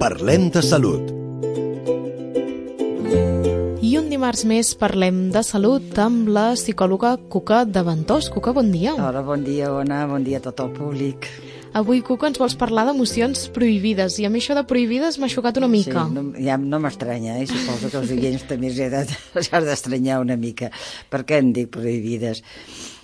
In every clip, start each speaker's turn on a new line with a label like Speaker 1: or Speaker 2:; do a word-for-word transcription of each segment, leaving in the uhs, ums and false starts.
Speaker 1: Parlem de salut.
Speaker 2: I un dimarts més parlem de salut amb la psicòloga Cuca de Ventós. Cuca, bon dia.
Speaker 3: Hola, bon dia, Ona, bon dia a tot el públic.
Speaker 2: Avui, Cuca, ens vols parlar d'emocions prohibides, i a mi això de prohibides m'ha xocat una mica.
Speaker 3: Sí, no, ja no m'estranya, eh? Suposo que els oients també s'han d'estranyar una mica. Per què em dic prohibides?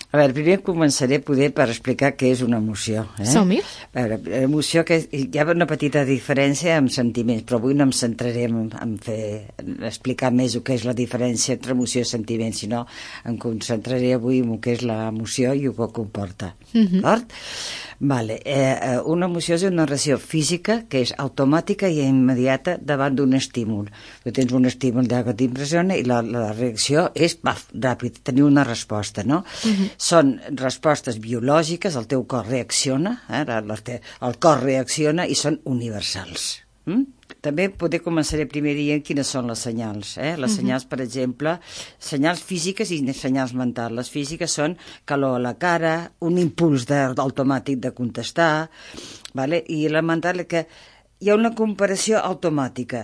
Speaker 3: A veure, primer començaré poder per explicar què és una emoció. Eh?
Speaker 2: Som-hi.
Speaker 3: A veure, emoció, que hi ha una petita diferència amb sentiments, però avui no em centraré en, en, fer, en explicar més el que és la diferència entre emoció i sentiment, sinó em concentraré avui en el que és l'emoció i el que comporta. Mm-hmm. D'acord? Vale. Eh, una emoció és una reacció física que és automàtica i immediata davant d'un estímul. Tu tens un estímul que t'impressiona i la, la reacció és paf, ràpid, tenir una resposta, no? Mm-hmm. Són respostes biològiques, el teu cor reacciona, eh? el cor reacciona i són universals. Mm? També poder començaré primer dient quines són les senyals. Eh? Les senyals, per exemple, senyals físiques i senyals mentals. Les físiques són calor a la cara, un impuls de, automàtic de contestar, vale? I la mental, que hi ha una comparació automàtica.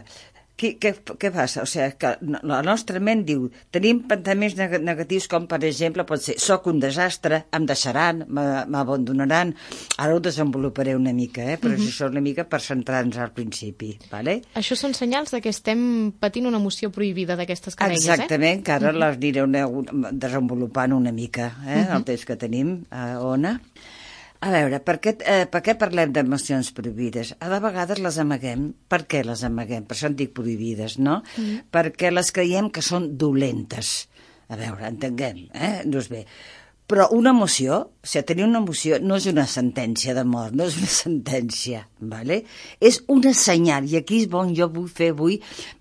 Speaker 3: Què, què, què passa? O sigui, que la nostra ment diu, tenim pensaments negatius com, per exemple, pot ser, soc un desastre, em deixaran, m'abandonaran. Ara ho desenvoluparé una mica, eh? Però uh-huh. això és una mica per centrar-nos al principi. Vale?
Speaker 2: Això són senyals de que estem patint una emoció prohibida d'aquestes que deies, eh?
Speaker 3: Exactament, que ara uh-huh. les aniré desenvolupant una mica, eh? Uh-huh. El temps que tenim, eh, Ona. A veure, per què, eh, per què parlem d'emocions prohibides? A de vegades les amaguem. Per què les amaguem? Per això en dic prohibides, no? Mm. Perquè les creiem que són dolentes. A veure, entenguem, eh? Doncs bé. Però una emoció, o sigui, tenir una emoció no és una sentència de mort, no és una sentència, ¿vale? És una senyal, i aquí és bon, jo vull fer avui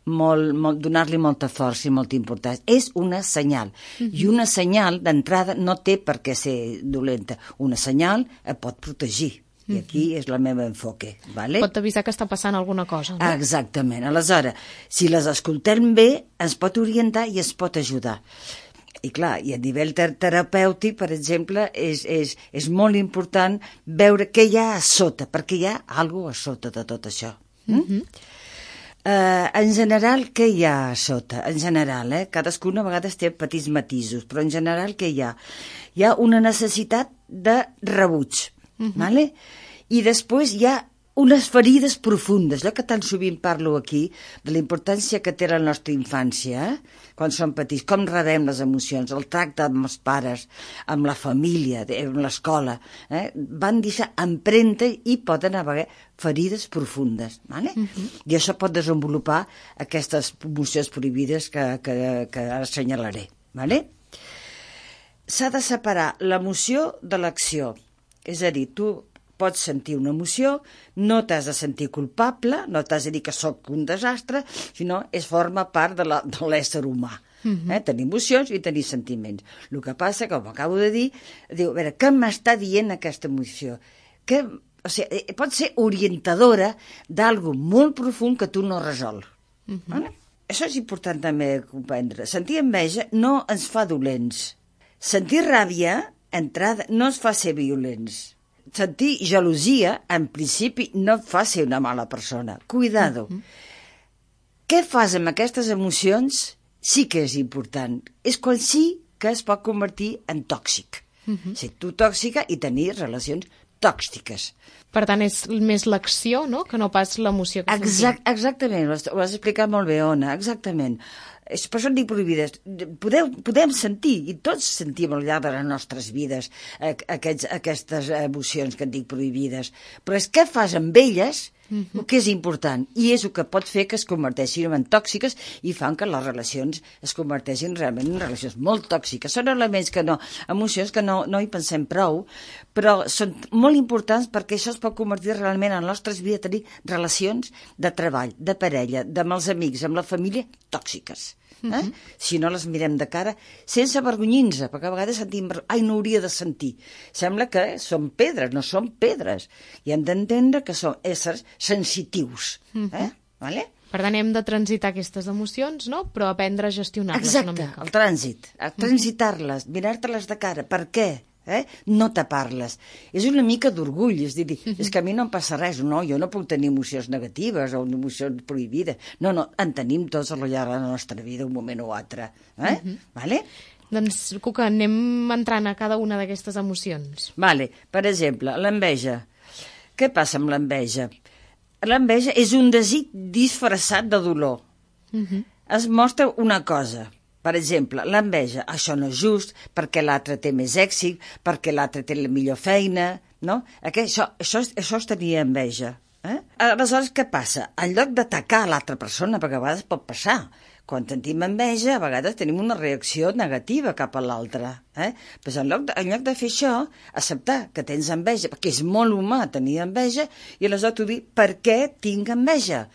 Speaker 3: molt, molt, donar-li molta força i molta importància. És una senyal, mm-hmm. i una senyal d'entrada no té per què ser dolenta. Una senyal et pot protegir. I aquí és el meu enfoque, ¿vale?
Speaker 2: Pot avisar que està passant alguna cosa, no?
Speaker 3: Exactament. Aleshores, si les escoltem bé, ens pot orientar i ens pot ajudar. I clar, i a nivell ter terapèutic, per exemple, és, és, és molt important veure què hi ha a sota, perquè hi ha alguna cosa a sota de tot això. Mm? Mm-hmm. uh, en general, què hi ha a sota? En general, eh? Cadascuna a vegades té petits matisos, però en general què hi ha? Hi ha una necessitat de rebuig, mm-hmm. ¿vale? I després hi ha unes ferides profundes, allò que tan sovint parlo aquí, de la importància que té la nostra infància, eh? Quan som petits, com rebem les emocions, el tracte amb els pares, amb la família, amb l'escola, eh? Van deixar empremta i poden haver ferides profundes, ¿vale? Uh-huh. I això pot desenvolupar aquestes emocions prohibides que, que, que ara assenyalaré, ¿vale? S'ha de separar l'emoció de l'acció, és a dir, tu pots sentir una emoció, no t'has de sentir culpable, no t'has de dir que sóc un desastre, sinó es forma part de l'ésser humà. Uh-huh. eh? Tenir emocions i tenir sentiments. El que passa, com acabo de dir, diu, a veure, què m'està dient aquesta emoció? Que, o sigui, pot ser orientadora d'algo molt profund que tu no resol. Uh-huh. Vale? Això és important també comprendre. Sentir enveja no ens fa dolents. Sentir ràbia, entrada, no ens fa ser violents. Sentir gelosia, en principi, no et fa ser una mala persona. Cuidado. Uh-huh. Què fas amb aquestes emocions? Sí que és important. És quan sí que es pot convertir en tòxic. Uh-huh. Ser tu tòxica i tenir relacions tòxiques.
Speaker 2: Per tant, és més l'acció, no?, que no pas l'emoció que
Speaker 3: Exact, Exactament, ho has, ho has explicat molt bé, Ona, exactament. És per això en dic prohibides. Podeu, podem sentir, i tots sentim al llarg de les nostres vides aquests, aquestes emocions que en dic prohibides, però és què fas amb elles, uh-huh. el que és important, i és el que pot fer que es converteixin en tòxiques i fan que les relacions es converteixin realment en relacions molt tòxiques. Són elements que no, emocions que no, no hi pensem prou, però són molt importants perquè això es pot convertir realment en les nostres vides, tenir relacions de treball, de parella, amb els amics, amb la família, tòxiques. Eh? Uh-huh. Si no les mirem de cara, sense avergonyir-nos, perquè a vegades sentim, ai, no hauria de sentir. Sembla que són pedres, no són pedres. I hem d'entendre que són éssers sensitius. Uh-huh. Eh? Vale?
Speaker 2: Per tant, hem de transitar aquestes emocions, no?, però aprendre a gestionar-les
Speaker 3: Exacte,
Speaker 2: una mica.
Speaker 3: el trànsit, a transitar-les, mirar-te-les de cara. Per què? Eh? No tapar-les. És una mica d'orgull, és dir, és que a mi no em passa res, no, jo no puc tenir emocions negatives o emocions prohibides. No, no, en tenim tots al llarg de la nostra vida, un moment o altre. Eh? Uh-huh. Vale?
Speaker 2: Doncs, Cuca, anem entrant a cada una d'aquestes emocions.
Speaker 3: Vale. Per exemple, l'enveja. Què passa amb l'enveja? L'enveja és un desig disfressat de dolor. Uh-huh. Es mostra una cosa. Per exemple, l'enveja, això no és just, perquè l'altre té més èxit, perquè l'altre té la millor feina, no? Això, això, això és tenir enveja. Eh? Aleshores, què passa? En lloc d'atacar l'altra persona, perquè a vegades pot passar, quan sentim enveja, a vegades tenim una reacció negativa cap a l'altre. Eh? Pues en, lloc de, en lloc de fer això, acceptar que tens enveja, perquè és molt humà tenir enveja, i aleshores tu dir, per què tinc enveja?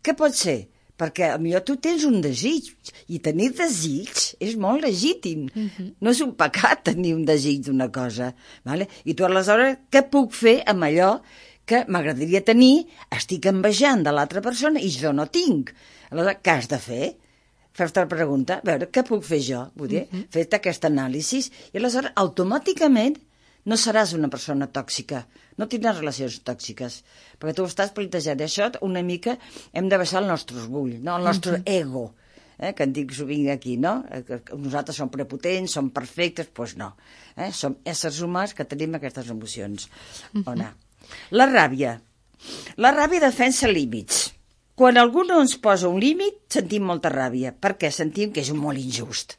Speaker 3: Què pot ser? Perquè potser tu tens un desig, i tenir desig és molt legítim. Uh-huh. No és un pecat tenir un desig d'una cosa. Vale? I tu aleshores, què puc fer amb allò que m'agradaria tenir, estic envejant de l'altra persona i jo no tinc? Aleshores, què has de fer? Fer-te la pregunta, a veure, què puc fer jo? Vull dir, uh-huh. fer-te aquest anàlisi, i aleshores automàticament no seràs una persona tòxica, no tindràs relacions tòxiques, perquè tu estàs plantejant. Això una mica hem de baixar el nostre orgull, no? El nostre uh-huh. ego, eh? Que en dic sovint aquí, no? Que nosaltres som prepotents, som perfectes, doncs no. Eh? Som éssers humans que tenim aquestes emocions. Uh-huh. Ona. La ràbia. La ràbia defensa límits. Quan algú no ens posa un límit, sentim molta ràbia, perquè sentim que és molt injust.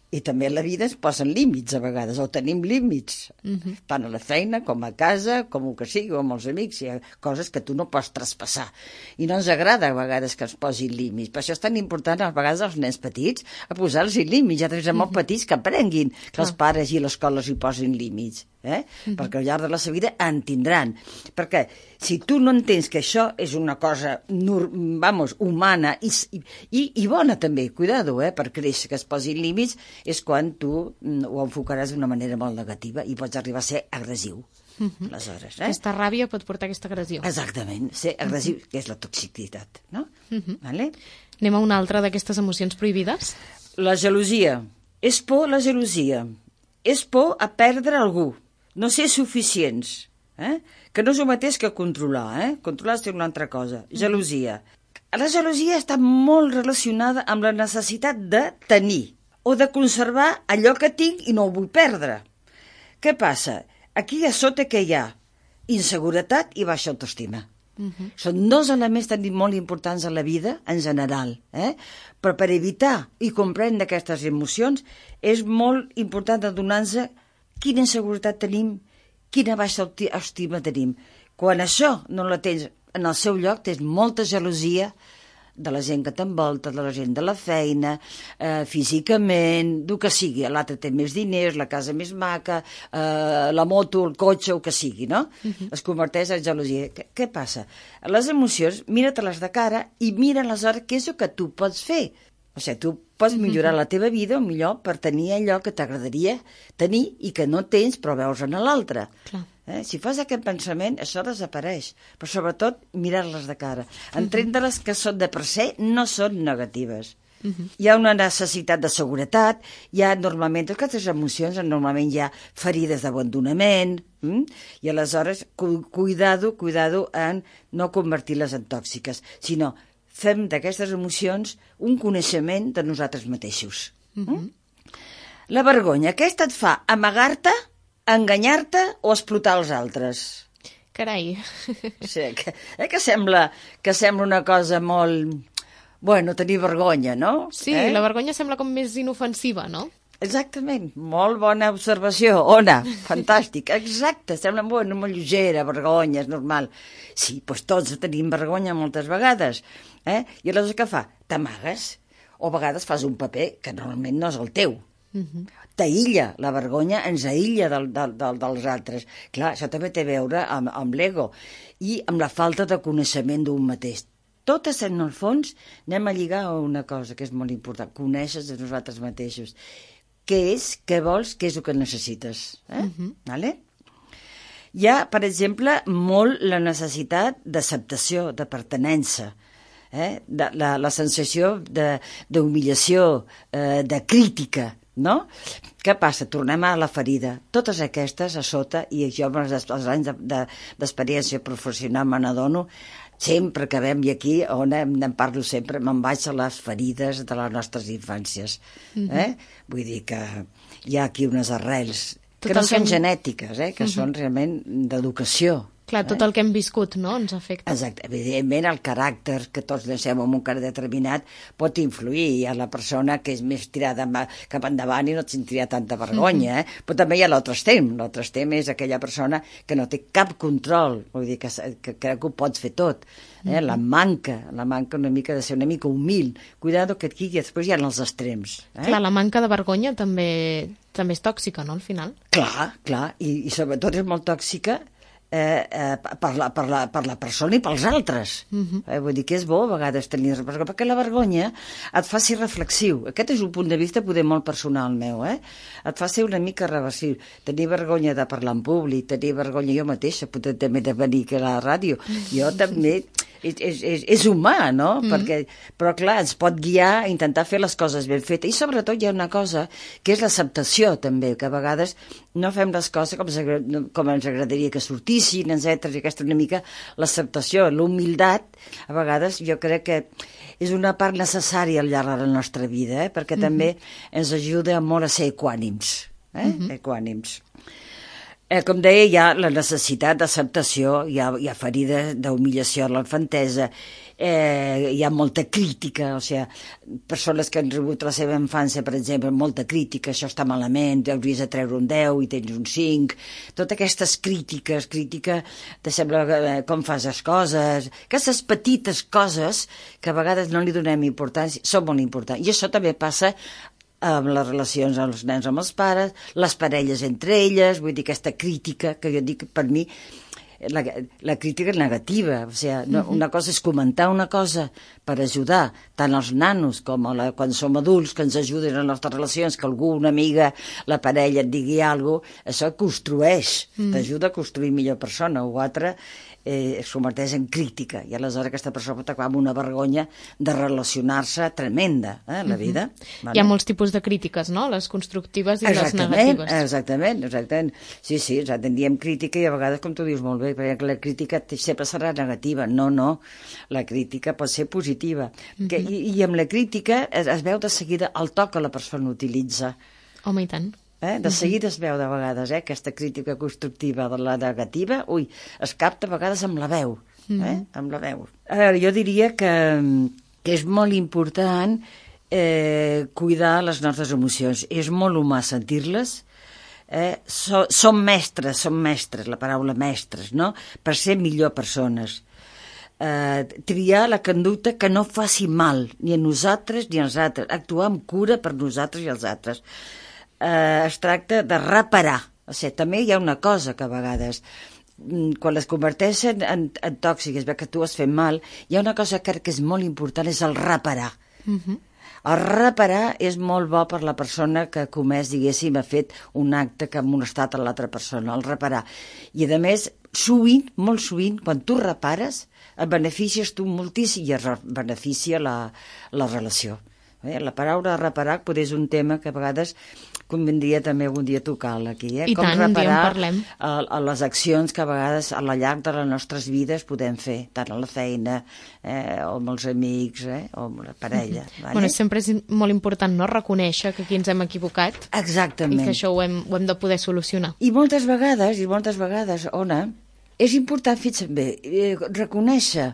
Speaker 3: I també a la vida es posen límits a vegades, o tenim límits, uh-huh. tant a la feina com a casa, com el que sigui, o amb els amics. Hi ha coses que tu no pots traspassar. I no ens agrada a vegades que es posin límits. Per això és tan important a vegades als nens petits a posar-los límits. Ja des de molt uh-huh. petits que aprenguin que els pares i l'escola hi posin límits. Eh? Uh-huh. Perquè al llarg de la seva vida en tindran. Perquè si tu no entens que això és una cosa vamos, humana i, i, i bona també, cuidado, eh? Per créixer, que es posin límits, és quan tu ho enfocaràs d'una manera molt negativa i pots arribar a ser agressiu. Uh-huh. Aleshores, eh?
Speaker 2: Aquesta ràbia pot portar aquesta agressió.
Speaker 3: Exactament, ser agressiu, uh-huh. que és la toxicitat, no? Uh-huh. Vale?
Speaker 2: Anem a una altra d'aquestes emocions prohibides?
Speaker 3: La gelosia. És por la gelosia. És por a perdre algú. No ser suficients, eh? Que no és el mateix que controlar, eh? Controlar és una altra cosa. Gelosia. La gelosia està molt relacionada amb la necessitat de tenir o de conservar allò que tinc i no ho vull perdre. Què passa? Aquí a sota què hi ha? Inseguretat i baixa autoestima. Uh-huh. Són dos elements tan molt importants a la vida en general, eh? Però per evitar i comprendre aquestes emocions és molt important adonar-nos quina inseguretat tenim, quina baixa autoestima tenim. Quan això no la tens en el seu lloc, tens molta gelosia de la gent que t'envolta, de la gent de la feina, eh, físicament, del que sigui. L'altre té més diners, la casa més maca, eh, la moto, el cotxe, el que sigui, no? Uh-huh. Es converteix en gelosia. Què, què passa? Les emocions, mira-te-les de cara i mira aleshores què és el que tu pots fer. O sigui, tu pots millorar la teva vida o millor per tenir allò que t'agradaria tenir i que no tens però veus en l'altre. Eh? Si fas aquest pensament, això desapareix. Però sobretot, mirar-les de cara. Entendre-les que són de per se, no són negatives. Uh-huh. Hi ha una necessitat de seguretat, hi ha normalment, aquestes emocions, normalment hi ha ferides d'abandonament, hm? I aleshores, cu cuidado, cuidado en no convertir-les en tòxiques, sinó fem d'aquestes emocions un coneixement de nosaltres mateixos. Uh-huh. Mm? La vergonya, aquesta et fa amagar-te, enganyar-te o explotar els altres.
Speaker 2: Carai.
Speaker 3: Sí, que, eh, que, sembla, que sembla una cosa molt... Bueno, tenir vergonya, no?
Speaker 2: Sí, eh? La vergonya sembla com més inofensiva, no?
Speaker 3: Exactament, molt bona observació, Ona, fantàstic, exacte, sembla bueno, molt lleugera, vergonya, és normal. Sí, doncs tots tenim vergonya moltes vegades, eh? I aleshores què fa? T'amagues, o a vegades fas un paper que normalment no és el teu. Uh-huh. T'aïlla, la vergonya ens aïlla del, del, del, dels altres. Clar, això també té a veure amb, amb l'ego i amb la falta de coneixement d'un mateix. Totes, en el fons, anem a lligar a una cosa que és molt important, conèixer de nosaltres mateixos. Què és, què vols, què és el que necessites. Eh? Uh-huh. Vale? Hi ha, per exemple, molt la necessitat d'acceptació, de pertinença, eh? de, la, la sensació d'humillació, eh, de crítica, no? Què passa? Tornem a la ferida. Totes aquestes a sota, i jo amb els, els anys d'experiència de, de, professional me n'adono, sempre que vam i aquí, on em, em parlo sempre, me'n vaig a les ferides de les nostres infàncies. Mm-hmm. eh? Vull dir que hi ha aquí unes arrels que no són genètiques, eh? que mm-hmm. són realment d'educació.
Speaker 2: Clar, tot el que hem viscut, no?, ens afecta.
Speaker 3: Exacte. Evidentment, el caràcter que tots deixem en un caràcter determinat pot influir. Hi ha la persona que és més tirada cap endavant i no et sentirà tanta vergonya, eh? Però també hi ha l'altre extrem. L'altre extrem és aquella persona que no té cap control, vull dir, que, que creu que ho pots fer tot. Eh? La manca, la manca una mica de ser una mica humil. Cuidado que aquí i després hi ha els extrems. Eh?
Speaker 2: Clar, la manca de vergonya també, també és tòxica, no?, al final. Clar,
Speaker 3: clar, i, i sobretot és molt tòxica Eh, eh, per, la, per, la, per la persona i pels altres. Uh-huh. eh, vull dir que és bo a vegades tenir vergonya, perquè la vergonya et fa ser reflexiu. Aquest és un punt de vista poder molt personal meu, eh? Et fa ser una mica reflexiu. Tenir vergonya de parlar en públic, tenir vergonya jo mateixa, potser també de venir a la ràdio. Jo també... És, és, és, és humà, no? Mm-hmm. Perquè, però clar, ens pot guiar a intentar fer les coses ben fetes. I sobretot hi ha una cosa que és l'acceptació també, que a vegades no fem les coses com, com ens agradaria que sortissin, etcètera. I aquesta una mica l'acceptació, l'humilitat, a vegades jo crec que és una part necessària al llarg de la nostra vida, eh? Perquè mm-hmm. també ens ajuda molt a ser equànims. Eh? Mm-hmm. Equànims. Eh, com deia, hi ha la necessitat d'acceptació, hi ha, hi ha ferides d'humillació a l'infantesa, eh, hi ha molta crítica, o sigui, persones que han rebut la seva infància, per exemple, molta crítica, això està malament, hauries de treure un deu i tens un cinc, totes aquestes crítiques, crítica de sembla eh, com fas les coses, aquestes petites coses que a vegades no li donem importància, són molt importants, i això també passa amb les relacions amb els nens amb els pares, les parelles entre elles, vull dir, aquesta crítica, que jo dic, per mi, la, la crítica és negativa, o sigui, no, una cosa és comentar una cosa per ajudar tant els nanos com a la, quan som adults, que ens ajuden en les nostres relacions, que algú, una amiga, la parella et digui alguna cosa, això construeix, mm. t'ajuda a construir millor persona, o altre eh, es converteix en crítica, i aleshores aquesta persona pot acabar amb una vergonya de relacionar-se tremenda, eh, la vida.
Speaker 2: Mm-hmm. Vale? Hi ha molts tipus de crítiques, no?, les constructives i
Speaker 3: exactament,
Speaker 2: les negatives.
Speaker 3: Exactament, exactament. Sí, sí, exactament, diem crítica i a vegades, com tu dius molt bé, perquè la crítica sempre serà negativa. No, no, la crítica pot ser positiva. Mm-hmm. que, i, I amb la crítica es, es veu de seguida el to que la persona utilitza.
Speaker 2: Home, i tant.
Speaker 3: Eh? De seguida es veu de vegades, eh? Aquesta crítica constructiva de la negativa, ui, es capta a vegades amb la veu, eh? Mm-hmm. Amb la veu. Eh, jo diria que, que és molt important eh, cuidar les nostres emocions. És molt humà sentir-les. Eh? So, som mestres, som mestres, la paraula mestres, no?, per ser millor persones. Eh, triar la conducta que no faci mal ni a nosaltres ni als altres, actuar amb cura per nosaltres i els altres. Eh, es tracta de reparar. O sigui, també hi ha una cosa que a vegades, quan es converteixen en, en tòxiques, que tu has fet mal, hi ha una cosa que crec que és molt important, és el reparar. Mm-hmm. El reparar és molt bo per la persona que ha comès, diguéssim, ha fet un acte que ha molestat a l'altra persona, el reparar. I a més, sovint, molt sovint, quan tu repares, et beneficies tu moltíssim i es beneficia la, la relació. Eh? La paraula reparar potser és un tema que a vegades convindria també algun dia tocar-la aquí. Eh?
Speaker 2: I
Speaker 3: Com
Speaker 2: tant,
Speaker 3: reparar
Speaker 2: un dia en parlem.
Speaker 3: A, a les accions que a vegades a la llarg de les nostres vides podem fer, tant a la feina, eh, o amb els amics, eh, o amb la parella. Mm-hmm. Vale?
Speaker 2: Bueno, sempre és molt important, no?, reconèixer que aquí ens hem equivocat.
Speaker 3: Exactament.
Speaker 2: I que això ho hem, ho hem de poder solucionar.
Speaker 3: I moltes vegades, i moltes vegades, Ona, és important, fixa't bé, eh, reconèixer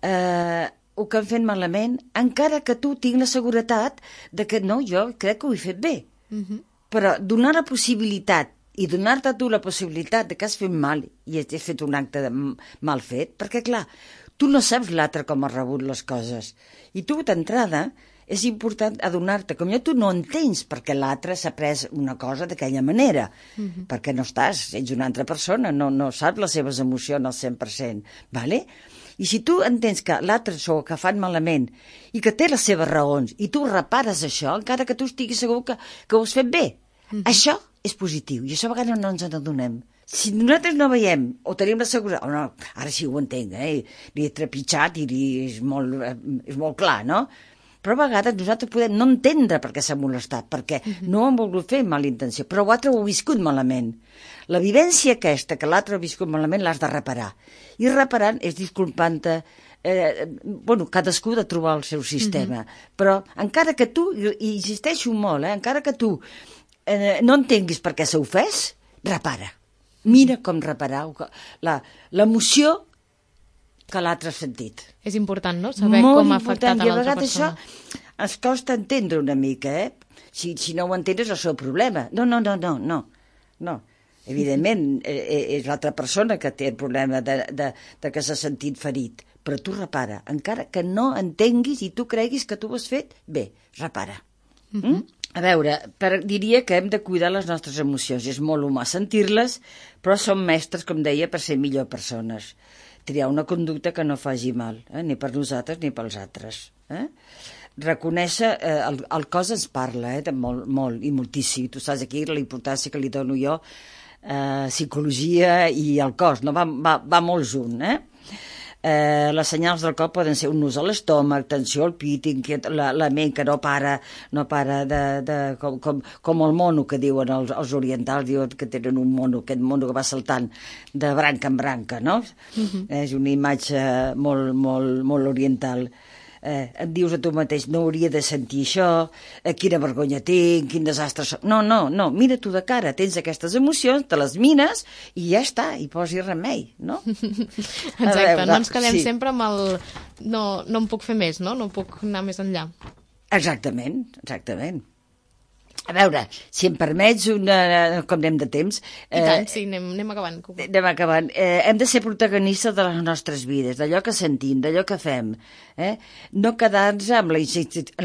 Speaker 3: eh, el que han fet malament, encara que tu tinguis la seguretat de que no, jo crec que ho he fet bé. Mm-hmm. Però donar la possibilitat i donar-te tu la possibilitat de que has fet mal i has fet un acte de mal fet, perquè, clar, tu no saps l'altre com ha rebut les coses. I tu, d'entrada, és important adonar-te, com ja tu no entens perquè l'altre s'ha pres una cosa d'aquella manera, mm-hmm. perquè no estàs, ets una altra persona, no, no saps les seves emocions al cent per cent, ¿vale? I si tu entens que l'altre s'ho que fan malament i que té les seves raons i tu repares això, encara que tu estiguis segur que, que ho has fet bé, mm-hmm. això és positiu i això a vegades no ens n'adonem. Si nosaltres no veiem o tenim la seguretat, oh no, ara sí ho entenc, eh? Li he trepitjat i li és, molt, és molt clar, no? Però a vegades nosaltres podem no entendre per què s'ha molestat, perquè uh-huh. no ho han volgut fer amb mala intenció, però l'altre ho ha viscut malament. La vivència aquesta, que l'altre ha viscut malament, l'has de reparar. I reparant és disculpant-te, eh, bueno, cadascú de trobar el seu sistema, uh-huh. però encara que tu, i insisteixo molt, eh, encara que tu eh, no entenguis per què s'ha ofès, repara. Mira com reparar l'emoció que l'altre ha sentit.
Speaker 2: És important, no?, saber
Speaker 3: Molt
Speaker 2: com ha
Speaker 3: important.
Speaker 2: afectat a l'altra persona.
Speaker 3: I a vegades això es costa entendre una mica, eh? Si, si no ho entens és el seu problema. No, no, no, no, no. no. Evidentment, eh, és l'altra persona que té el problema de, de, de que s'ha sentit ferit. Però tu repara. Encara que no entenguis i tu creguis que tu ho has fet, bé, repara. Mm -hmm. mm? A veure, per, diria que hem de cuidar les nostres emocions. És molt humà sentir-les, però som mestres, com deia, per ser millor persones. Triar una conducta que no faci mal, eh? Ni per nosaltres ni pels altres. Eh? Reconèixer, eh, el, el cos ens parla, eh? molt, molt i moltíssim. Tu saps aquí la importància que li dono jo, eh, psicologia i el cos, no? va, va, va molt junt, eh? Eh, les senyals del cor poden ser un nus a l'estómac, tensió al pit, inquiet, la, la ment que no para, no para de, de, com, com, com el mono que diuen els, els orientals, diuen que tenen un mono, aquest mono que va saltant de branca en branca, no? Uh-huh. És una imatge molt, molt, molt oriental. Eh, et dius a tu mateix, no hauria de sentir això, eh, quina vergonya tinc, quin desastre soc. No, no, no, mira tu de cara, tens aquestes emocions, te les mires i ja està, i posi remei, no?
Speaker 2: Exacte, veure, no ens quedem sí. sempre amb el no, no em puc fer més, no? No puc anar més enllà.
Speaker 3: Exactament, exactament. A veure, si em permets, una, com anem de temps...
Speaker 2: I eh, tant, sí, anem, anem acabant.
Speaker 3: Anem acabant. Eh, hem de ser protagonistes de les nostres vides, d'allò que sentim, d'allò que fem. Eh? No quedar-nos amb la,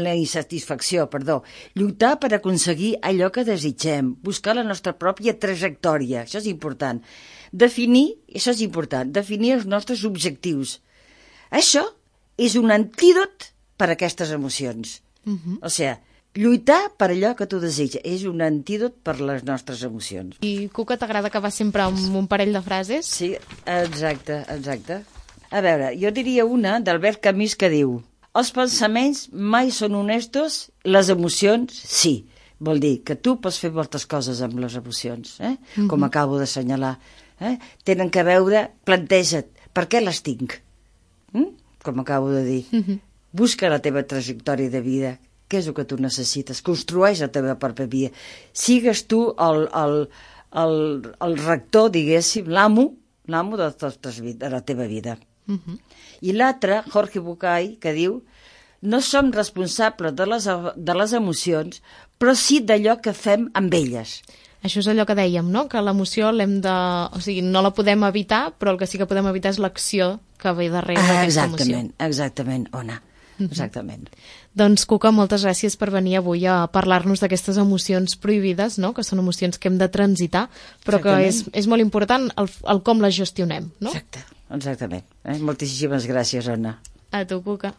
Speaker 3: la insatisfacció, perdó. Lluitar per aconseguir allò que desitgem, buscar la nostra pròpia trajectòria, això és important. Definir, això és important, definir els nostres objectius. Això és un antídot per a aquestes emocions. Uh-huh. O sigui, lluitar per allò que tu desitges és un antídot per les nostres emocions.
Speaker 2: I, Cuca, t'agrada acabar sempre amb un parell de frases?
Speaker 3: Sí, exacte, exacte. A veure, jo diria una d'Albert Camus que diu: els pensaments mai són honestos, les emocions sí. Vol dir que tu pots fer moltes coses amb les emocions, eh? Mm-hmm. Com acabo d'assenyalar. Eh? Tenen que veure, planteja't, per què les tinc? Mm? Com acabo de dir. Mm-hmm. Busca la teva trajectòria de vida. Què és el que tu necessites? Construeix la teva pròpia vida. Sigues tu el, el, el, el rector, diguéssim, l'amo, l'amo de, de la teva vida. Uh-huh. I l'altre, Jorge Bucay, que diu: no som responsables de les, de les emocions, però sí d'allò que fem amb elles.
Speaker 2: Això és allò que dèiem, no? Que l'emoció l'hem de... O sigui, no la podem evitar, però el que sí que podem evitar és l'acció que ve darrere ah, d'aquesta emoció.
Speaker 3: Exactament, exactament, Ona. Exactament.
Speaker 2: Doncs, Cuca, moltes gràcies per venir avui a parlar-nos d'aquestes emocions prohibides, no? Que són emocions que hem de transitar, però exactament. que és, és molt important el, el com les gestionem, no?
Speaker 3: Exacte, exactament. Eh? Moltíssimes gràcies, Ona.
Speaker 2: A tu, Cuca.